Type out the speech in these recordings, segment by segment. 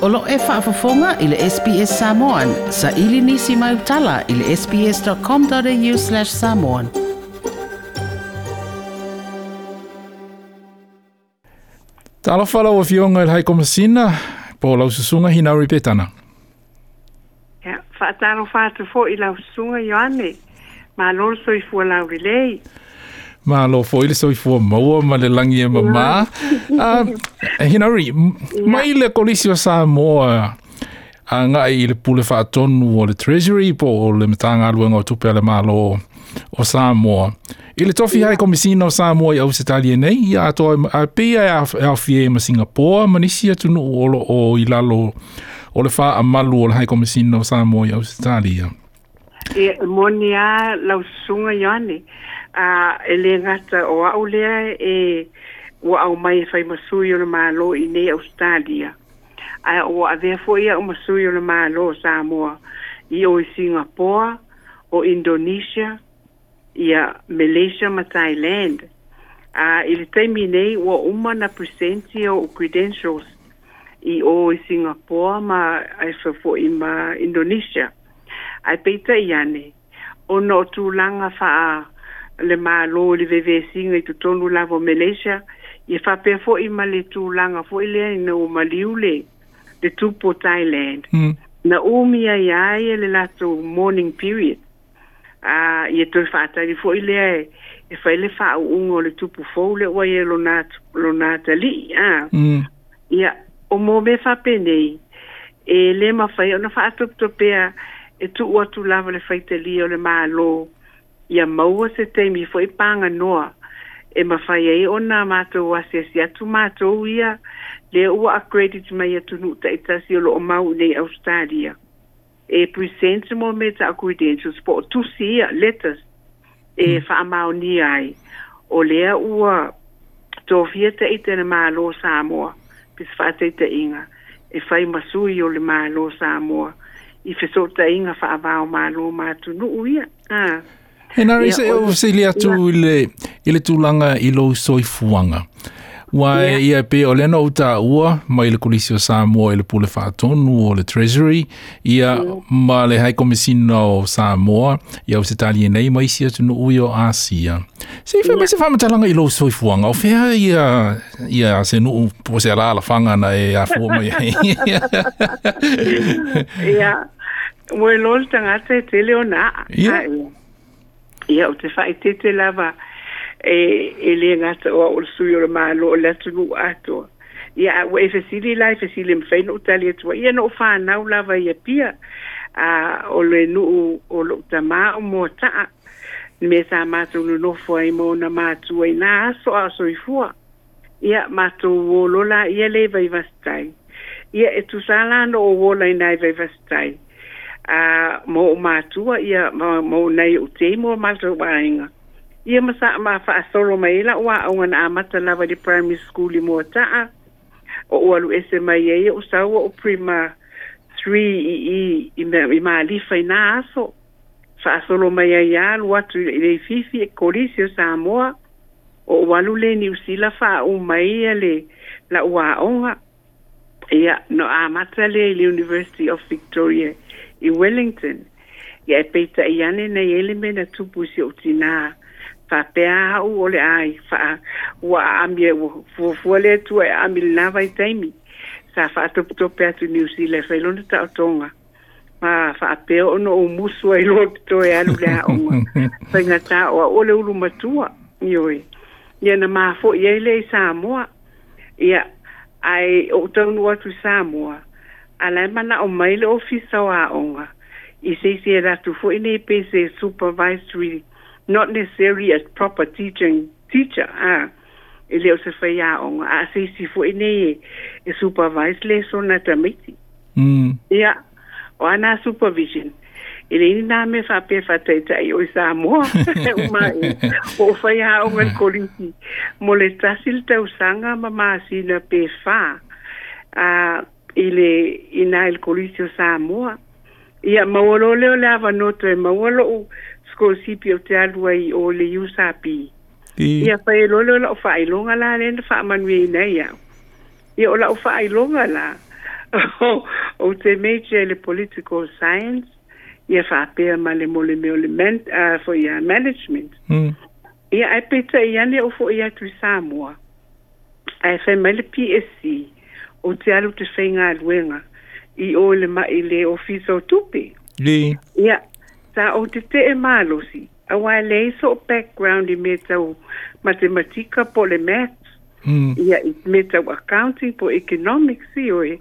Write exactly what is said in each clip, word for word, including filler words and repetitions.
O lo e faafofoga i le S B S Samoan. Sa ili nisi mai utala i le sbs.com.au slash samoan. Talofa lau afioga i le High Komisina, po lau susuga Hinauri Petana. Ia, faatalofa atu fo'i lau susuga Ioane. Malo le soifua laulelei. Malo foi le soifua maua ma le lagi e mamā. Hinauri, mai le Kolisi o Samoa agai i le pule faatonu o le Treasury po o le Matagaluega o Tupe a le Malo o Samoa. I le tofi High Komisina o Samoa i Ausetalia nei, ia atoa a pei e aofia ai ma Singapore ma nisi atunuu o loo i lalo o le faamalu o le High Komisina o Samoa i Ausetalia. E moni a lau susuga Ioane. A e le gata o au lea e ua au mai e fai masui o le Malo i nei Australia. Ae ua avea foi au masui o le Malo o Samoa i o i Singapore, o Indonesia, ia Malaysia ma Thailand. A i le taimi nei ua uma na presenti o credentials i o i Singapore ma ai foi ma Indonesia. Ai peitai ane, ona o tulaga faa le malo i le vevesiga i totonu lava o Malaysia, ia faapea fo'i ma le tulaga fo'i lea ina ua maliu le le tupu o Thailand. Mm. Na umi ai ai le latou mourning period. A ia toe faatali fo'i lea e, e fai le faauuga o le tupu fou le ua ia lona, lona atalii. A. Mm. Ia, o mo mea faapenei, e le mafai ona faatopetopea e tuu atu lava le faitalia o le malo ia maua se taimi fo'i paganoa e mafai ai ona matou asiasi atu matou ia lea ua accredit mai atunuu ta'itasi o loo mau i nei Australia. E present mo mea ta credentials po o tusi ia letters e faamaonia ai o lea ua tofia ta'ita e le Malo o Samoa pe se faataitaiga e fai masui o le Malo o Samoa i fesootaiga faavao malo ma atunuu ia. Ah. Hinauri, Ia, se o o fesili atu i le, i le tulaga i lou soifuaga. Ua Ia. ia pe o lea na ou taua mai le Kolisi o Samoa i le pule faatonu o le Treasury, ia ma le High Komisina o Samoa i Ausetalia nei ma isi atunuu i o Asia. Se i fai mai se faamatalaga i lou soifuaga, o fea ia, ia se nuu po se alalafaga na e afua mai ai. Ia, ua iloa le tagata e tele ona aa. Ia. A, ia. Ia, o te faaitete lava e, e le gata o au o le sui o le malo o le atunuu atoa. Ia, a ua e fesili la e fesili mafai ona ou tali atu ai. Ia, na ou fanau lava ia pia. A, o le nuu o lou tamā o Moata'a. Me sa matou nonofo ai ma ona matua i nā aso a o soifua. Ia, matou o lola ia le Vaivasitai. Ia, e tusa la na ou ola i nā i Vaivasitai. A, ma ou matua, ia, ma, ma ou nai o te mo matou aiga. Ia ma sa ma faasolo mai ai la'u aoga na amata lava i le primary school i Moata'a. O ou alu ese mai ai o sau o prima three i i i, i Malifa i nā aso. Faasolo mai ai alu atu i le Fifi e Kolisi o Samoa. O ou alu le Niu Sila faauma mai ia le la'u aoga. Ia, no amata le i le University of Victoria i Wellington. Ia e peitai ane nei ele me na tupu i si ou tinā. Faapea au o le ai, faa, ua aami e ua fuafua le Atua e aami lenā vaitaimi. Sa faatopetope atu Niu Sila e fai lona taotoga. Ma faapea ona ou musu ai loa toe alu le aoga. Faigatā o au o le ulu matua. Ioe. Ia na mafo'i ai lea i Samoa. Ia, ae ou taunuu atu i Samoa. A lae manao mai le ofisa o aoga. I se isi e latou fo'i nei pe se supervisory, not necessarily a proper teaching teacher, ah, e le o se fai aoga, a se isi fo'i nei e, e supervise lesona tamaiti. Mm. Ia, o ana supervision. E le ini nā mea faapea faataitai o i Samoa. Uma e, o fai aoga le kolisi. Mo le tasi le tausaga ma masina pe whā. A, i le, i nā i le kolisi o Samoa. Ia, maua loa lea o le avanoa toe maua lou scholarship o te alu ai o le U S A P. I. Ia, fai e loa lea o lau faailoga la lea na faamanuiaina ai au. Ia, o lau faailoga la. Ou te major i le political science, ia faapea ma le mo le mea o le man, uh, foi ia management. Mm. Ia ae peitai ane ou fo'i atu i Samoa, ae fai mai le P S C ou te alu te faigaluega i o i le ma i le ofisa o tupe. Li. Ia, sa ou tete'e malosi, auā e leai so'u background i mea tau matematika po o le maths. Mm. Ia, i mea tau accounting po o economics, ioe.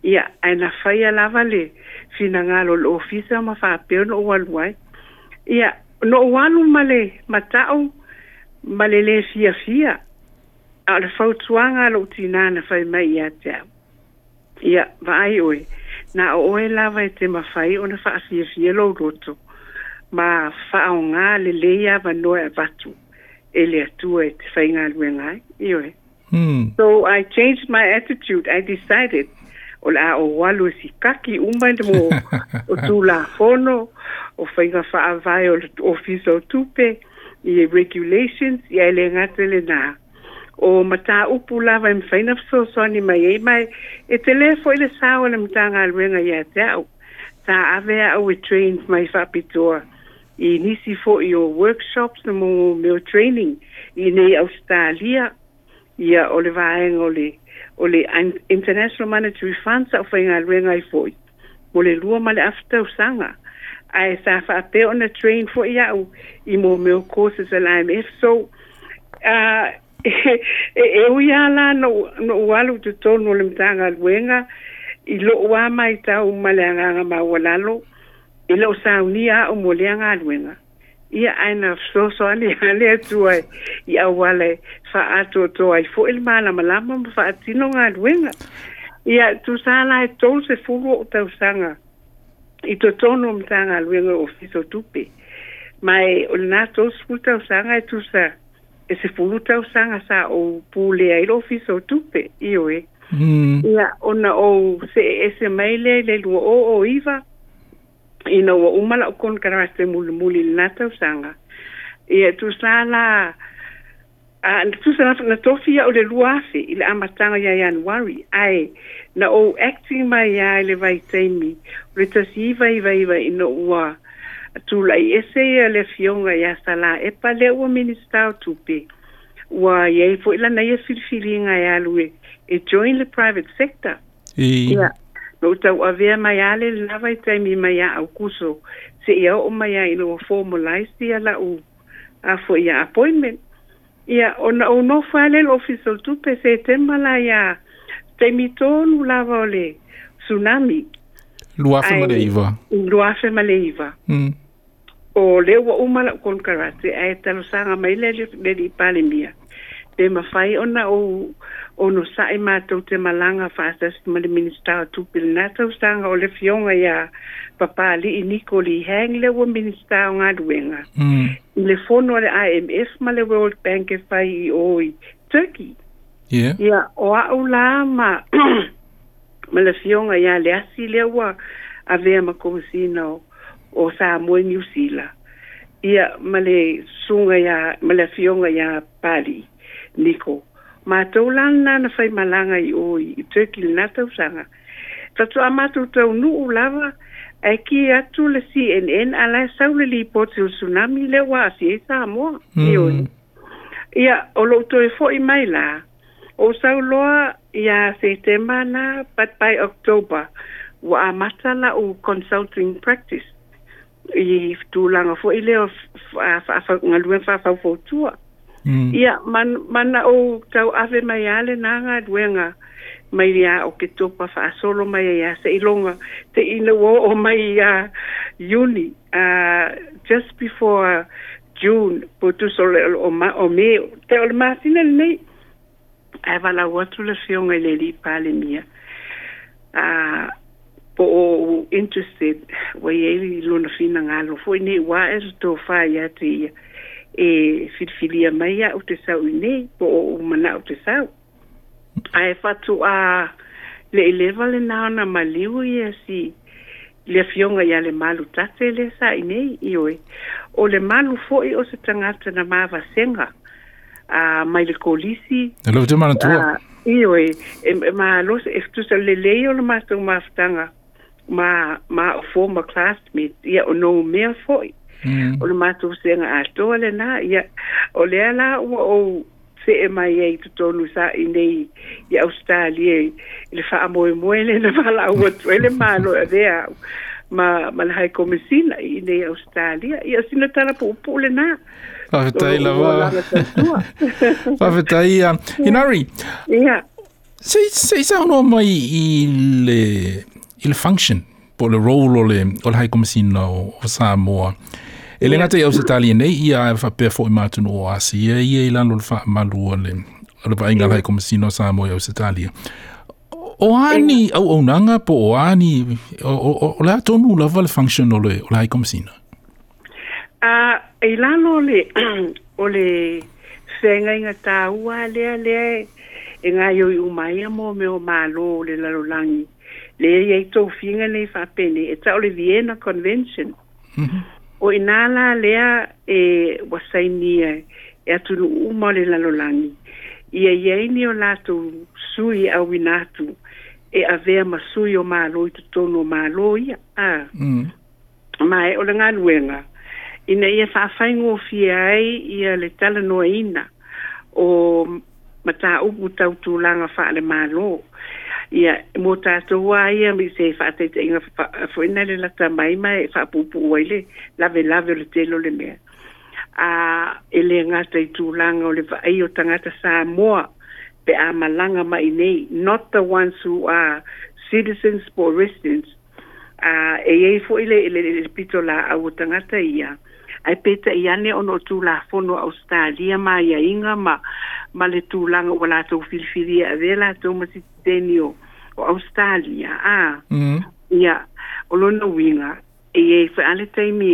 Ia, ae na faia lava le finagalo o le ofisa ma faapea ona ou alu ai. Ia, na ou alu ma le mata'u ma le lē fiafia, a o le fautuaga a lo'u tinā na fai mai ia te a'u: "Ia vaai oe, na o oe lava e te mafai ona faafiafia lou loto ma faaogā lelei avanoa e avatu e le Atua e te faigaluega ai." Ioe. Mm. So I changed my attitude. I decided o le a ou alu e sikaki uma le mo o tulafono o faiga faavae o le ofisa o tupe i regulations. Ia, e le gata lenā, o mataupu lava e mafai ona fesoasoani mai ai mai e telē fo'i le sao o le Matagaluega ia te a'u. Sa ave a'u e train mai faapitoa i nisi fo'i o workshops na mo mea o training i nei Ausetalia. Ia, o le vaega o le o le International Monetary Fund sa ou faigaluega ai fo'i mo le lua ma le afa tausaga, ae sa faapea ona train fo'i a'u i mo mea o courses a le I M F. So uh, e, e ui lava la no'u alu i totonu o le Matagaluega i lo'u a maitau ma le agaga maualalo, e le o saunia a'u mo lea galuega. Ia, ae na fesoasoani a le Atua i auala e fa'aatoatoa ai fo'i le malamalama ma fa'atino galuega. Ia, tusa la e tolu sefulu o'u tausaga i totonu o Matagaluega o Ofisa o Tupe, ma e o lenā tolu sefulu tausaga e tusa e sefulu tausaga sa ou pulea ai le Ofisa o Tupe, ioe. Mm. Ia, ona ou se'e ese mai lea i le lua o o iva ina ua uma la'u konekarate mulimuli i lenā tausaga. Ia, tusa la a tusa na, na tofi a'u le lua afe i le amataga ia Ianuari, ae na ou acting mai ia i le vaitaimi o le tasi iva iva iva ina ua tula'i ese ia le afioga iā Salā Epa lea ua Minista o Tupe, ua iai fo'i lana ia filifiliga e alu e, e join le private sector. I. Ia, na ou tau'avea mai a le lenā vaitaimi mai ia Aukuso se'ia o'o mai ai ina ua formalize ia la'u a fo'i ia appointment. Ia, ona ou nofo a lea le ofisa o le tupe Setema la ia taimi tonu lava o le tsunami. Lua afe ma le iva. Lua afe ma le iva. Mm. O lea ua uma la'u konekarate, ae talosaga mai le le alii Palemia pe mafai ona ou onosa'i matou te malaga fa'atasi ma le Minista o Tupe lenā tausaga, o le afioga iā Papali'i Niko Lee Hang lea ua Minista o Galuega, Mm. i le fono a le I M F ma le World Bank e fai i o i Turkey. Yeah. Ia, o a'u la ma ma le afioga iā Leasi lea ua avea ma Komesina o, o Samoa i Niu Sila. Ia, ma le susuga iā ma le afioga iā Pali Niko. Matou la lenā na faimalaga i o i, i Turkey lenā tausaga. Fato'a matou taunu'u lava ae ki atu le C N N a lae sau le lipoti o le tsunami lea ua a'afia ai Samoa. Mm. Ioe. Ia, o lo'u toe fo'i mai la, o sau loa ia Setema na, but by October, ua amata la'u consulting practice i tulaga fo'i lea o fa'afagaluega fa'afaufautua. Mm. Ia, man, mana ou tau'ave mai a lenā galuega mai ia Oketopa fa'asolo mai ai ia se'iloga te ina ua o'o mai ia Iuni, uh, just before June po tusa o le o, ma, o Me te o le masina lenei, ae valaau atu le afioga i le alii Palemia a po o interested ua iai lona finagalo fo'i nei ua a'e le tofā ia te ia e filifilia mai a'u te sau i nei po o ou mana'o te sau. Ae fatu'a le ileva lenā ona maliu ia si le afioga ia Lemalu Tate lea sa i nei. Ioe, o le malu fo'i o se tagata na mavasega a mai le kolisi. E lou te manatua. A Ioe, e malo e tusa lelei o le matou mafutaga ma ma o former classmates, ia o no mea fo'i. Mm. O le matou sega atoa lenā, ia o lea la ua ou se'e mai ai totonu sa i nei i Ausetalia i le fa'amoemoe le na valaau atu ai le Malo e avea a'u ma ma le High Komesina i nei Ausetalia. Ia sina tala pu'upu'u lenā o Faafetai lo'u lava. olaga tautua. Faafetai ia. Hinari, Ia se se saunoa mai i le i le function po o le role o le o le High Komesina o, o Samoa. E le ia gata i Ausetalia nei, ia e faapea fo'i ma atunuu o Asia ia i lalo o le fa'amalu o le o le vaaiga a le ia High Komesina o Samoa i Ausetalia. O a ia ni auaunaga po o a ni o, o, o le a tonu lava le function o le o le High Komesina. A i lalo o le o le feagaiga tāua lea lea e gaoioi uma ai ia mo mea o mālō o le lalolagi lea e iai tofiga nei faapenei e ta'o le Vienna Convention. O inā la lea e ua sainia e atunuu uma o le lalolagi ia iai ni o latou sui e auina atu e avea ma sui o mālō i totonu o mālō ia a. Mm. Ma e o le galuega ina ia fa'afaigofie ai ia le talanoaina o matāupu tau tulaga fa'alemālō ia mo tatou a ia me se fa'ataitaiga fo'ina le lata mai ma e fa'apuupuu ai le lavelave o le tele o le mea a e lē gata i tulaga o le va'ai o tagata Samoa pe a malaga mai nei, not the ones who are citizens po residents a e iai fo'i le le le pito la'au o tagata ia ae peta'i ane ona o tulafono a Ausetalia ma aiaiga ma ma le tulaga ua latou filifilia e avea latou ma sititeni o o Ausetalia a. Mm. Ia o lona uiga e iai fo'i a le taimi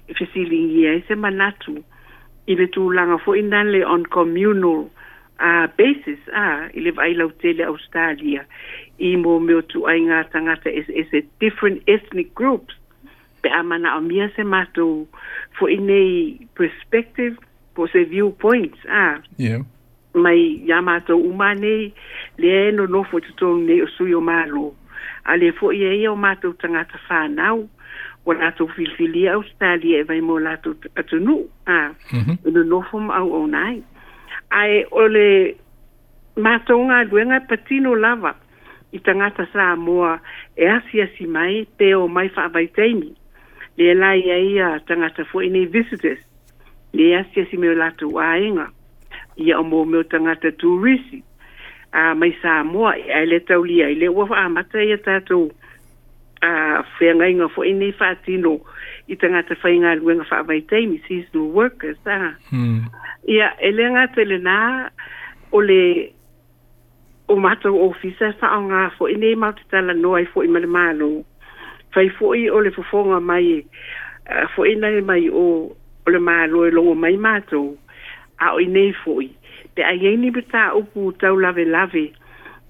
e fesiligia ai se manatu i le tulaga fo'i nale on communal uh, basis a i le vaai lautele Australia i mo mea o tu'aiga tagata eseese, different ethnic groups, pe a mana'omia se matou fo'i nei perspective po o se viewpoints a Yeah. mai iā matou uma nei lea e nonofo i totonu nei o sui o mālō a le fo'i e ia o matou tagata fanau ua latou filifilia Australia e vai mo latou atunuu a Mm-hmm. e nonofo ma auauna ai ae o le matou galuega e patino lava i tagata Samoa e asiasi mai pe o mai fa'avaitaimi lea la ia ia tagata fo'i nei visitors le asiasi mai o latou aiga ia o mo mea o tagata turisi a mai Samoa ae le taulia ai le ua fa'amata ia tatou a feagaiga fo'i nei fa'atino i tagata faigaluega fa'avaitaimi, seasonal workers a. Mm. Ia e lē gata i lenā o le o matou ofisa e fa'aaogā fo'i nei matou te talanoa ai fo'i ma le Mālō fai fo'i o le fofoga mai e fo'i nei mai o o le Mālō e logo mai matou a o i nei fo'i pe a iai ni matāupu tau lavelave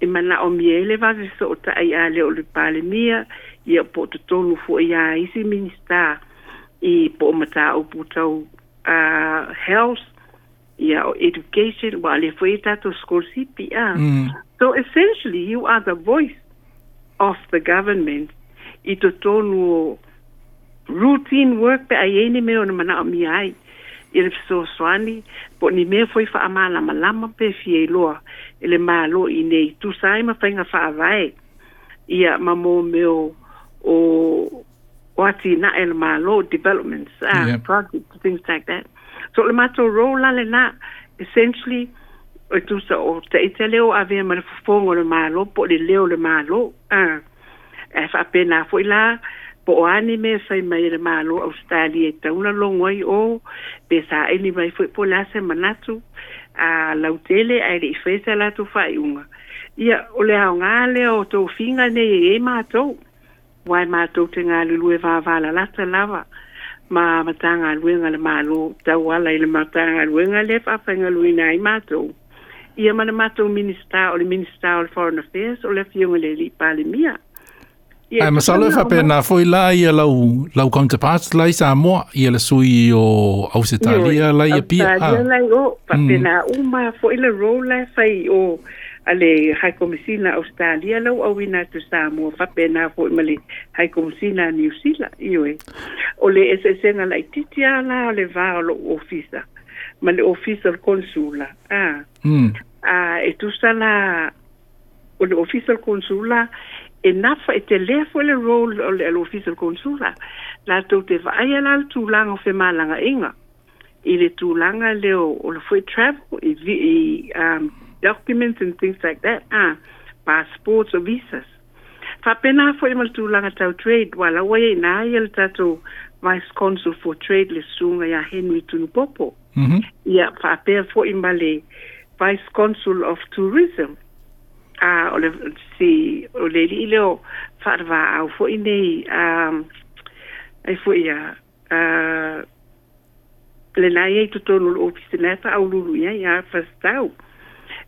e mana'omia ai le vave so'ota'i a le o le Palemia ia po o totonu fo'i a isi minista i po o matāupu tau uh, health ia o education ua le fo'i tatou sikolasipi a. Mm. So essentially you are the voice of the government i totonu o routine work pe a iai ni mea ona mana'omia ai i le fesoasoani po o ni mea foi fa'amalamalama pe fia iloa e le Mālō i nei tusa ai ma faiga fa'avae ia ma mo mea o o o atina'e le Mālō, developments ah, Yeah. projects, things like that. So le matou role la lenā essentially o tusa o ta'ita lea o avea ma le fofoga o le Mālō po o le leo o le Mālō a e fa'apena fo'i la po o ani mea fai mai e le Mālō Australia e tauna logo ai o pe sa'ili mai fo'i po o le a se manatu a lautele ae le'i faia sa latou fa'ai'uga ia o le aogā lea o tofiga nei e matou uae matou te galulue vavalalata lava ma matagaluega le Mālō tauala i le matagaluega lea fa'afaigaluina ai matou ia ma le matou minista o le Minista o le Foreign Affairs o le Afioga i le Alii Palemia ia Ae e tusa masalo e na o faapena foi la ia lau lau counterparts la i Samoa ia le sui o Ioe, Ausetalia la i Apia Australia a. lai o Mm. faapena uma fo'i le role la e fai o A le High Commissioner Australia lau auina atu Samoa faapena fo'i ma le High Commissioner Niu Sila. Ioe, o le eseesega laitiiti a la o le va o lo'u ofisa ma le ofisa o le konsula a Mm. a e tusa la o le ofisa o le konsula e nafa e telē fo'i le role o le ofisa o le konsula latou te vaaia la le tulaga o femalaga'iga i le tulaga lea o le fo'i travel i, i um, documents and things like that, ah, passports or visas. Faapena fo'i ma le tulaga tau trade ua laua ia ia le tatou vice consul for trade le susuga iā Henry Tunupopo. Mm -hmm. Ia faapea fo'i ma le vice consul of tourism a o le si o le alii lea o faatavaau fo'i nei um, ai fo'i ia uh, lena ia i totonu o le ofisa na e faaululu i ai ia fasitau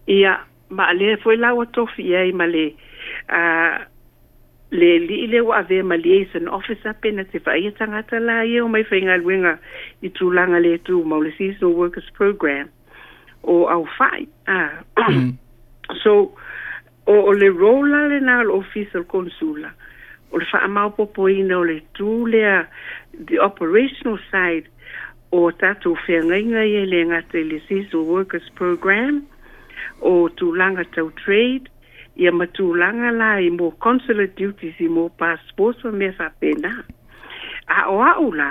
ia ma lea foi la ua tofi i ai ma le uh, le alii lea ua avea ma liaison officer pe na te vaaia tagata la ia o mai faigaluega i tulaga le tumau le seasonal workers program o aufa'i ah. Mm. So o, o le role la lena o le ofisa o le konsula o le faamaopopoina o le tū lea, the operational side o tatou feagaiga ia le gata i le seasonal workers program o tulaga tau trade ia ma tulaga la i mo consular duties i mo passports ma mea faapena. A o a'u la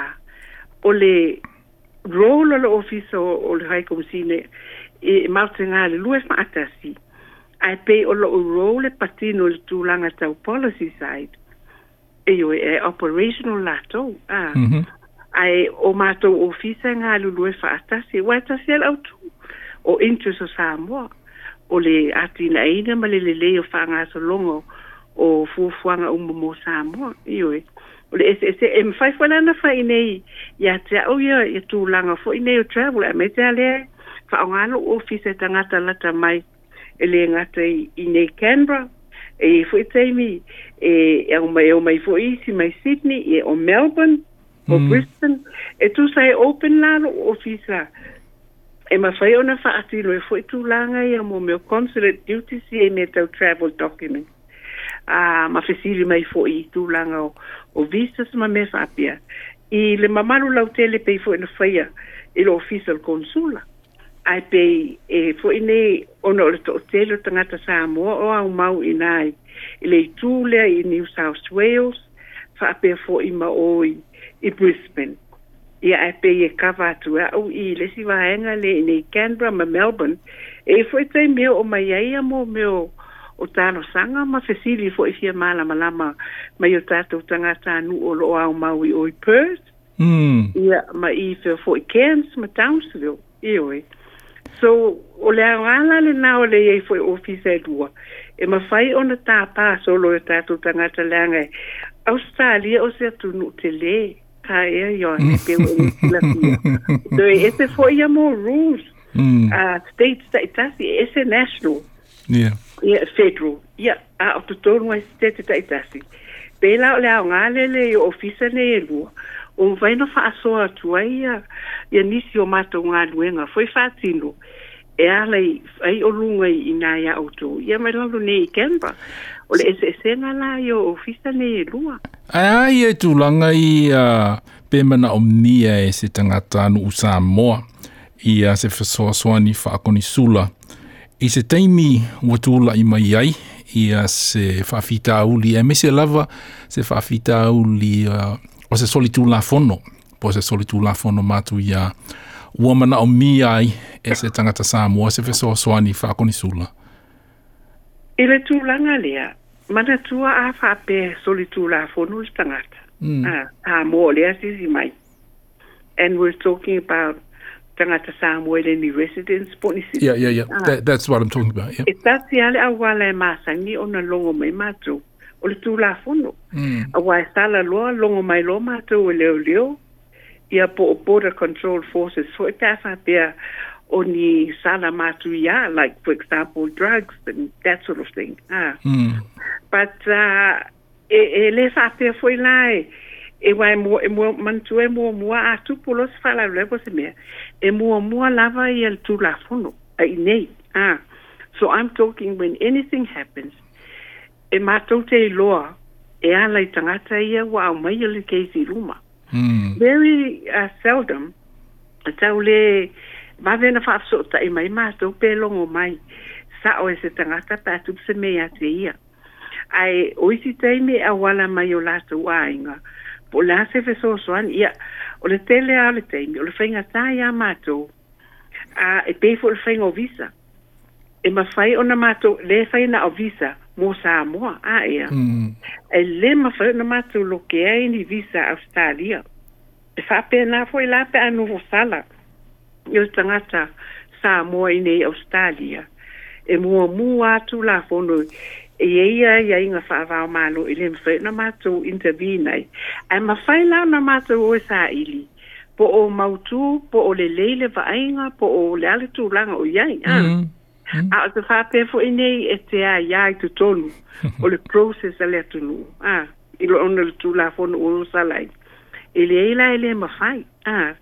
o le role o le ofisa o, o le High Commissioner e mautega le lua faatasi ae pei o lo'u role e patino i le tulaga tau policy side e ioe e operational latou a Mm -hmm. ae o matou ofisa e galulue faatasi ua e tasi a le autū o interest o Samoa o le atinaʻina ma le lelei o faagasologa o fuafuaga uma mo Samoa. Ioe, o le eseese e mafai foi lana fai nei ia te a'u ia ia tulaga fo'i nei o travel aemaise a lea faaaogā lo'u ofisa e tagata lata mai e lē gata i, i nei Canberra e fo'i taimi e e au mai au mai fo'i isi mai Sydney e o Melbourne o Mm. Brisbane e tusa e open la lo'u ofisa e mafai ona faatino e fo'i tulaga ia mo mea consulate duties ia i mea tau travel document a ma fesili mai fo'i i tulaga o, o visas ma mea faapea i le mamalu lautele pei fo'i na faia i le ofisa o le konsula ae pei e fo'i nei ona o le to'atele o tagata Samoa o aumau i nā i le itū lea i New South Wales faapea fo'i ma o i, i Brisbane ia ae pei e kava atu a'u i le isi vaega le i nei Canberra ma Melbourne e fo'i taimi e oo mai ai ia mo mea o o talosaga ma fesili fo'i fia malamalama mai o tatou tagatanuu o loo aumau i o i Perth Mm. ia ma i fea fo'i Cairns ma Townsville. Ioe, so o le aoga la lenā o le iai fo'i ofisa e lua e mafai ona tāpā solo e tatou tagata leaga e Australia o se atunuu telē a ea Ioane pe ua e silafia so e ese fo'i ia mo rules Mm. uh, states ta'itasi e ese national Yeah. ia federal ia a o totonu ai state ta'itasi pela o le aoga lele i ofisa nei e lua o mafai ona faasoa atu ai ia ia nisi o matou galuega foi faatino e ala i ai o luga i nā ia outou ia mai lalo nei i Canberra o le eseesega la i o ofisa nei e lua. Ae a ia i tulaga i uh, pe manaomia e se tagata nuu Samoa ia se fesoasoani faakonisula i se taimi ua tula'i mai ai ia se faafitauli aemaise lava se faafitauli uh, o se solitulafono po o se solitulafono matuia ua manaomia ai e se tagata Samoa se fesoasoani faakonisula. I le tulaga lea manatua a faapea solitulafono le tagata Mm. ah, Samoa lea sisi mai and we're talking about tagata Samoa i le ni residence po ni Yeah, yeah, yeah. Ah. That, that's what I'm talking about. Yeah. E tasi a le auala e masani ona logo mai matou o le tulafono Mm. auā e sala loa logo mai loa matou e leoleo ia po o border control forces fo'i pe a faapea o ni sala matuiā, like for example drugs and that sort of thing ah. Mm. But uh, e, e lē faapea fo'i la e e uā e mua e mua manatua e muamua a tupu loa se faalavelave po se mea e muamua lava ia le tulafono a inei ah. So I'm talking when anything happens, e mātou te iloa e ala i tagata ia ua aumaia le case i luma. Mm. Very uh, seldom tau le vave na faafesootai mai matou pe logo mai sa'o e se tagata pe a tupu se mea iā te ia. Ae o isi taimi e auala mai o latou aiga po o le a se fesoasoani ia o le tele lava o le taimi o le faigatā iā matou a e pei foi o le faiga o visa. E mafai ona matou lē fai na o visa mo Samoa a ea. Mm. E lē mafai ona matou lokea ai ni visa Australia. E faapena foi la pe a nofo sala i o le tagata Samoa i nei Australia. E muamua atu Tulafono e iai aiaiga faavaomalo e lē mafai ona matou intervene ai. Ae mafai la ona matou o e saili po o mautū po o lelei le vaaiga po o le a le tulaga o i ai a. Mm. Mm. A o te faapea foi nei e te aiā i totonu o le process a le atunuu a i lo ona o le Tulafono ua o sala ai. E leai la e lē mafai a.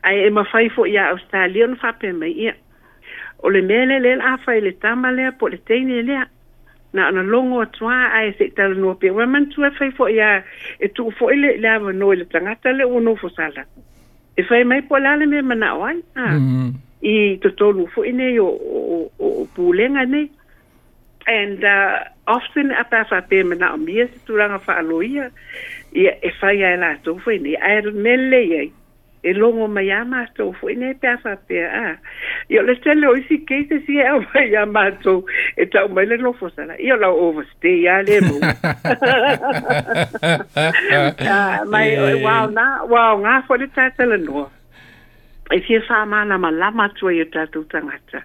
Ae e mafai foi iā Australia ona faapea mai ia o le mea lea lea o le a fai i le tama lea po o le teine lea. Na ona logo atu lava ae se i talanoa pea. Ua manatua e fai foi lava e tuu foi le le avanoa i le tagata lea ua nofo sala e fai mai po o le a le mea e manao ai a Mm. i totonu foi nei o o o pulega nei. And uh, often a pe a faapea e manaomia se tulaga faaloia ia e fai lava e latou foi nei. Ae o le mea lelei ai e logo mai lava matou foi nei pe a faapea a. Ia o le tele o isi cases ia e aumai iā matou e tau mai le nofo sala ia o lau overstay lava lea e maua. Ah, mai ua aoga ua aoga foi le tatalanoa e fia faamalamalama atu ai i o tatou tagata.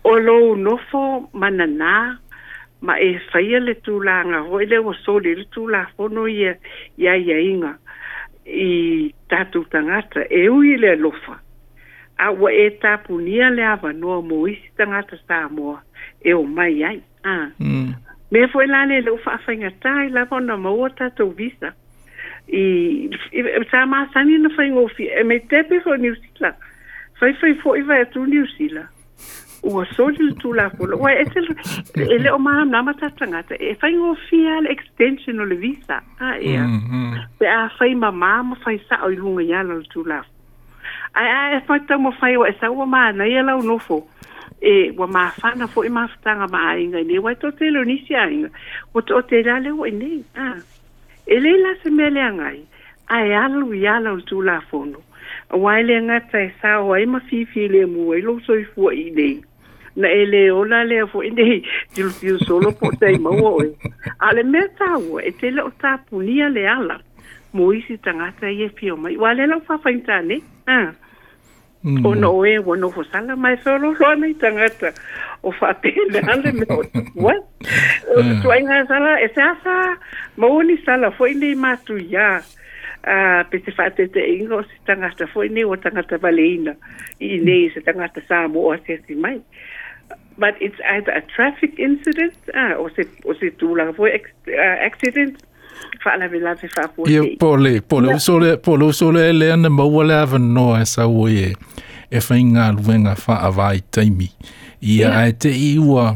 O lou nofo mananā ma e faia le tulaga foi lea ua soli ai le Tulafono ia i aiaiga i tatou tagata e ui i le alofa a ua e tapunia le avanoa mo isi tagata Samoa e omai ai a. Mm. Mea foi la lea lea ua faafaigatā ai lava ona maua tatou visa i sa masani ona faigofie e maitepe foi Niu Sila. Faifai foi vae atu Niu Sila ua soli le Tulafono ua ese e le o malamalama tatou tagata e faigofie lava le extension o le visa a ea. Mm. Pe a fai mamā ma fai sa'o i luga i ala o le Tulafono. Ae a e fai taumafai ua e sau ua manaia lau nofo e ua mafana foi mafutaga ma aiga i nei uae toatele o nisi aiga ua toatele lava lea ua i nei a. E lelei la se mea leaga ai ae alu i ala o le Tulafono auā e le gata e sao ai ma fifilemu ai lou soifua i nei na e lē ola lea foi nei tilotilo solo po o tai maua oe. A o le mea taua e te le o tapunia le ala mo isi tagata ia e fia omai uā lea la ua faafaigata nei a. Mm. Ona o e ua nofo sala ma e feoloolo ana i tagata o faapena le mea o tupu ai. O le tuaiga sala e seasea maua ni sala foi nei matuiā a pe se faateteʻiga o se tagata foi nei ua tagata valeina i inei i se tagata Samoa asiasi mai. But it's either a traffic incident a o se o se tulaga foi accident faalavelave Ia faafuasei. po o le po o le Ia. uso lea po o le uso lea lea na maua le avanoa e sau ai e e faigaluega faavaitaimi. Ia Ia. ae te'i ua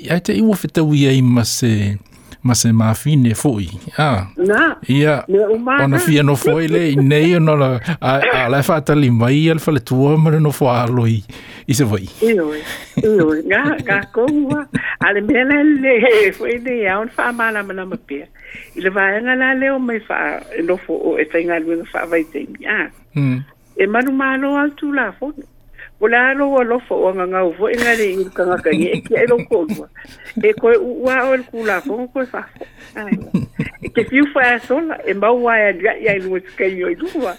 ae te'i ua fetaui ai ma se ma se mafine foi. A. Na. Ia Mea uma ona na. fia nofo ai lea i nei ona o la a a la e faatali mai ia le faletua ma le nofo alo i i Savaii. Ioe, ioe, ga ga koua. A le mea la le foi nei ao ona faamalamalama pea. I le vaega la lea o mai faa e nofo o e faigaluega faavaitaimi a. Mm. E manumalo lava le Tulafono. Po o le a lou alofa o agagau foi na le i le tagata e tiai lou toalua. E koe uua oe i le Tulafono koe faafoi. Ai. E te fiu faasola e maua ai aliaʻi ai lua se o i lua.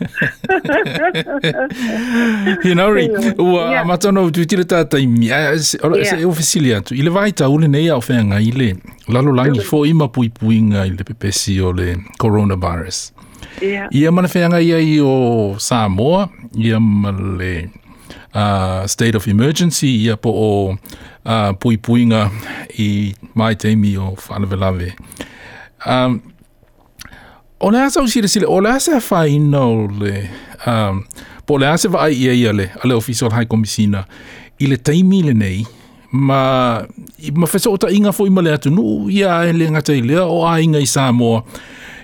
Hinauri, Ioe. ua Ia. amata ona ou tuiti le tataimi. Ae, se- o le- Ia. se e fesili atu. I le vaitau lenei a o feagai le lalolagi foi ma puipuiga i le pepesi o le coronavirus. Ia. Ia ma le feagai ai o Samoa, ia ma le uh, state of emergency, ia po o uh, puipuiga i vaitaimi o faalavelave. Um, o le a sau silasila, o le a se afaina o le, um, po o le a se vaai i ai a le, a le Ofisa o le High Commissioner i le taimi lenei, Ma ma fesootaiga foʻi ma le atunuu ia e le gata i lea o aiga i Samoa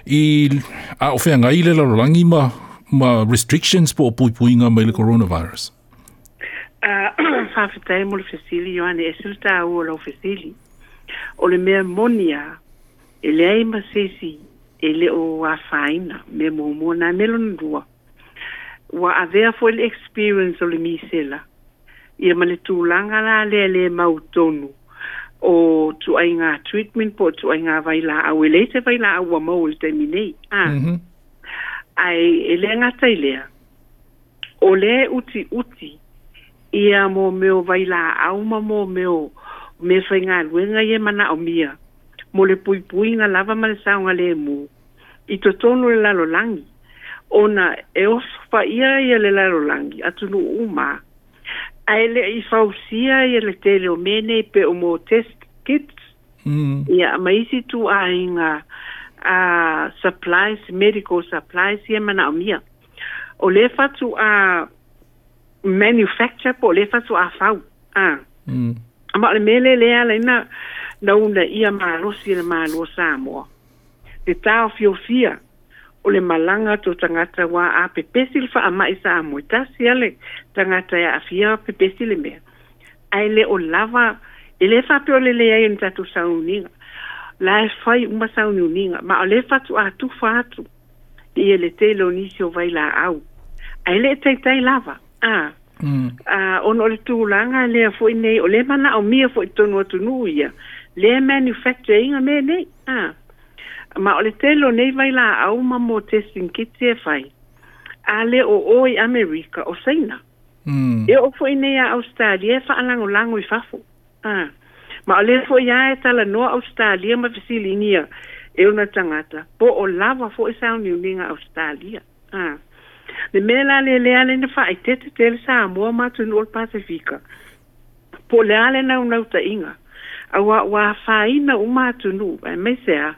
i a o feagai le lalolagi ma ma restrictions po o puipuiga mai le coronavirus. Faafetai mo le fesili, Ioane, e ese le tāua o lau fesili. O le mea moni lava, e leai ma se isi e le o afaina, mea muamua na mea lona lua. Ua avea foi le experience o le misela, ia ma le tulaga la lea le mautonu o tuaiga treatment po o tuaiga vailaau, e leai se vailaau ua maua i le taimi nei. Ah. Mm -hmm. Ae e le gata i lea, o lea e utiuti ia mo mea o vailaau ma mo mea o mea faigaluega ia e manaomia mo le puipuiga lava ma le saogalemu i totonu o le lalolagi, ona e oso faia ia le lalolagi atunuu uma, ae le i fausia ia le tele o mea nei pe o mo test kits, mm. ia ma isi tuaiga uh, supplies, medical supplies ia manaomia. O lea faatoa manufacture po o lea faatoa fau. Ah. Mm. Ma o le mea lea lea ala ai na na uunaia malosi e le Malo o Samoa le taofiofia o le malaga atu o tagata, ua a pepesi le faamai Samoa, e tasi lava le tagata e aafia pepesi le mea, ae le o lava, e le faapea o le leai o ni tatou sauniuniga, la e fai uma sauniuniga, ma o lea faatoa tufa atu ia le tele o nisi o vailaau, ae le taitai lava. Ah. Mm. Uh, ona o le tulaga lea foi nei, o lea manaomia foi i totonu o atunuu ia, lea manufacture ina mea nei. Ah. Ma o le tele o nei vailaau ma mo testing kits e fai, a le o o i Amerika o Saina. Mm. E oo foi nei a Australia e faalagolago i fafo. Ah. Ma o lea foi lava e talanoa Australia ma fesiligia e ona tagata, po o lava foi sauniuniga Australia. Ah. Le mea la lea lea ala ai na faaeteete tele Samoa ma atunuu o le Pasefika, po o le a le naunautaiga, auā ua afaina uma atunuu, aemaise a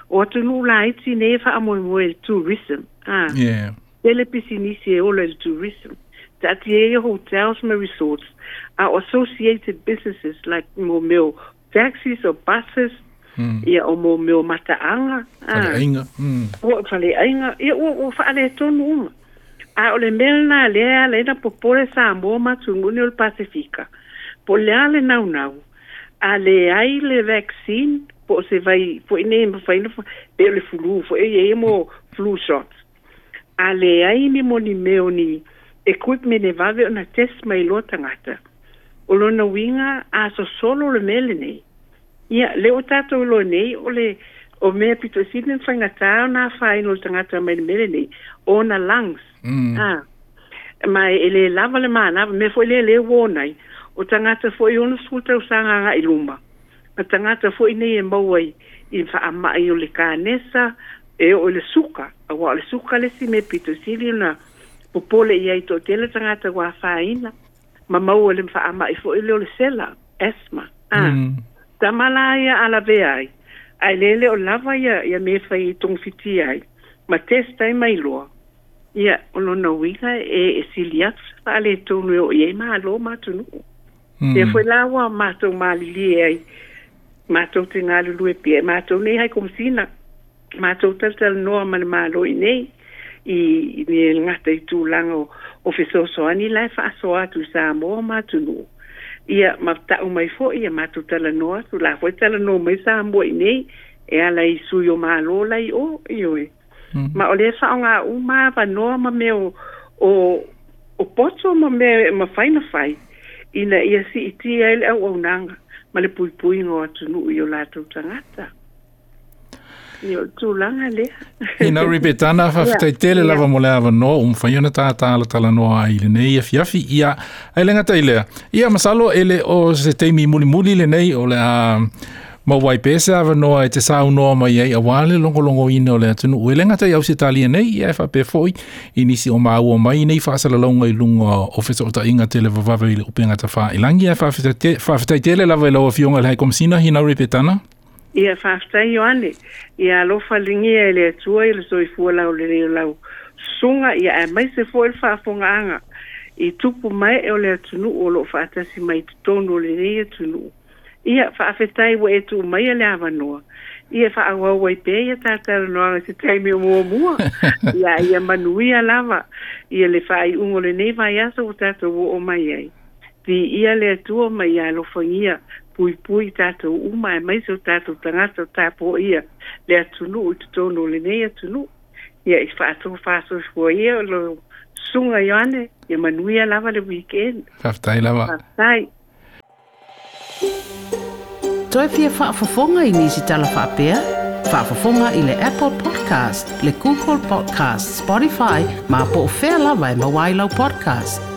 o atunuu laiti nei e faamoemoe i le tourism. Ah. Yeah. Tele pisinisi e ola i le tourism. Taatia ia hotels ma resorts, a o associated businesses like mo mea o taxis o buses, Mm. ia o mo mea o mataaga, ah, Faleaiga. Mm. o faleaiga, ia ua ua faaletonu uma. A o le mea lena lea e ala ai na popole Samoa ma atunuu nei o le Pasefika, po o le a le naunau, a leai le vaccine po o se vai foi nei e mafai ona pe o le flu foi e i ai ia mo flu shots. A leai ni mo ni mea o ni equipment e vave ona test mai loa tagata, o lona uiga a sosolo le mea lenei. Ia, lea ua tatou iloa nei o le o mea pito sili ona faigata ona afaina o le tagata mai le mea lenei, o ona lungs. Mm. Ah. Ma e le lava le manava, mea foi lea lea ua ona ai, o tagata foi ono sefulu tausaga agai luma, ma tagata foi nei e maua i i faamai o le kanesa, e oo i le suka, auā o le suka le isi mea pito sili ona popole i ai toatele tagata ua afaina, ma maua i le faamai foi lea o le sela, asthma. Ah. Mm. Tama la ia a lavea ai, ae le le o lava ia ia mea e fai e togafitia ai, ma test ai mai loa. Ia, o lona uiga e e sili atu se faaletonu e oo i ai malo ma atunuu. Lea Mm. foi la ua matou malilie ai, matou te galulue pea, matou nei hai komesina, matou talatalanoa ma le Malo i nei, i i le gata i tulaga o o fesoasoani la e faasoa atu i Samoa ma atunuu. Ia ma tau mai foi ia matou talanoa atu, la foi talanoa mai Samoa i nei, e ala i sui o Malo la i o, ioe. Mm. Ma o lea e faaaoga uma avanoa ma mea o o o poto ma mea e mafai ona fai, ina ia siitia ai le auaunaga ma le puipuiga o atunuu i o latou tagata. Ia, o le tulaga lea. Hinauri Petana, Ia, faafetai tele ia. lava mo le avanoa ua mafai ona tātalatalanoa ai i lenei afiafi. Ia, ae le gata i lea. Ia, masalo e le o se taimi mulimuli lenei o le a maua ai pea se avanoa e te saunoa mai ai auā le logologoina o le atunuu. E le gata i Ausetalia nei, ia e faapea foi i nisi o maua mai nei faasalalauga i luga o fesootaiga televavave i le upega tafailagi. Ae faafetai te- faafetai tele lava i lau afioga i le High Komesina, Hinauri Petana. Ia, faafetai Ioane. Ia alofa ligia e le Atua i le soifua laulelei o lau susuga, ia aemaise foi le faafofogaaga I tupu mai e o le atunuu o loo faatasi mai totonu o lenei atunuu. Ia faafetai ua e tuu maia le avanoa. Ia faaauau ai pea ia talatalanoaga i se taimi o muamua. Ia ia manuia lava ia le faaiuga o lenei vaiaso ua tatou oo mai ai. Viia le Atua ma ia alofagia puipui tatou uma aemaise o tatou tagata o tapuaia le atunuu i totonu o lenei atunuu. Ia i faatofasoifua ia o lo susuga Ioane, ia manuia lava le weekend. Faafetai lava. Faafetai. Toe fia faafofoga i nisi tala faapea? Faafofoga i le Apple Podcast, le Google Podcast, Spotify, ma po o fea lava e maua ai lau podcast.